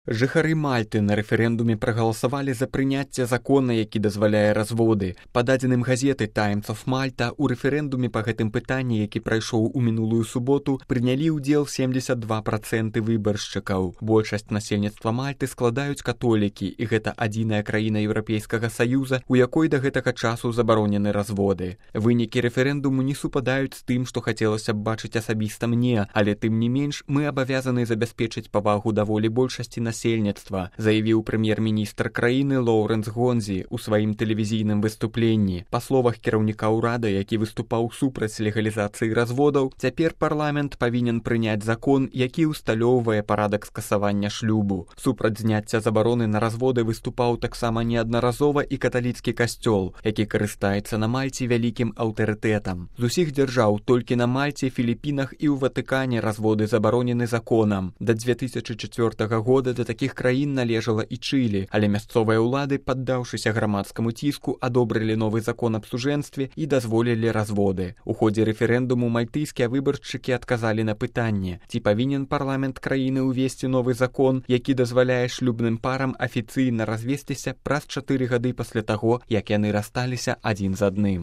Жыхары Мальты на рэферэндуме прагаласавалі за прыняцце закона, які дазваляе разводы. Па дадзеным газеты Times of Malta, у рэферэндуме па гэтым пытанні, які прайшоў у мінулую суботу, прынялі ўдзел 72% выбаршчыкаў. Большасць насельніцтва Мальты складаюць католікі, і гэта адзіная краіна Еўрапейскага Саюза, у якой да гэтага часу забаронены разводы. Вынікі рэферэндуму не супадаюць з тым, што хацелася б бачыць асабіста мне, але тым не менш мы абавязаны забяспечыць павагу да волі большасці насельніцтва, заявіў прэм'ер-міністр краіны Лоўрэнс Гонзі ў сваім тэлевізійным выступленні. Па словах кіраўніка ўрада, які выступаў супраць легалізацыі разводаў, цяпер парламент павінен прыняць закон, які ўсталёўвае парадак скасавання шлюбу. Супраць зняцця забароны на разводы выступаў таксама неаднаразова і каталіцкі касцёл, які карыстаецца на Мальце вялікім аўтарытэтам. З усіх дзяржаў толькі на Мальце, Філіпінах і ў Ватыкане разводы забаронены законам. Да 2004 года да такіх краін належала і Чылі, але мясцовыя ўлады, паддаўшыся грамадскаму ціску, адобрылі новы закон аб сужэнстве і дазволілі разводы. У ходзе рэферэндуму мальтыйскія выбаршчыкі адказалі на пытанне, ці павінен парламент краіны ўвесці новы закон, які дазваляе шлюбным парам афіцыйна развесціся праз 4 гады пасля таго, як яны рассталіся адзін з адным.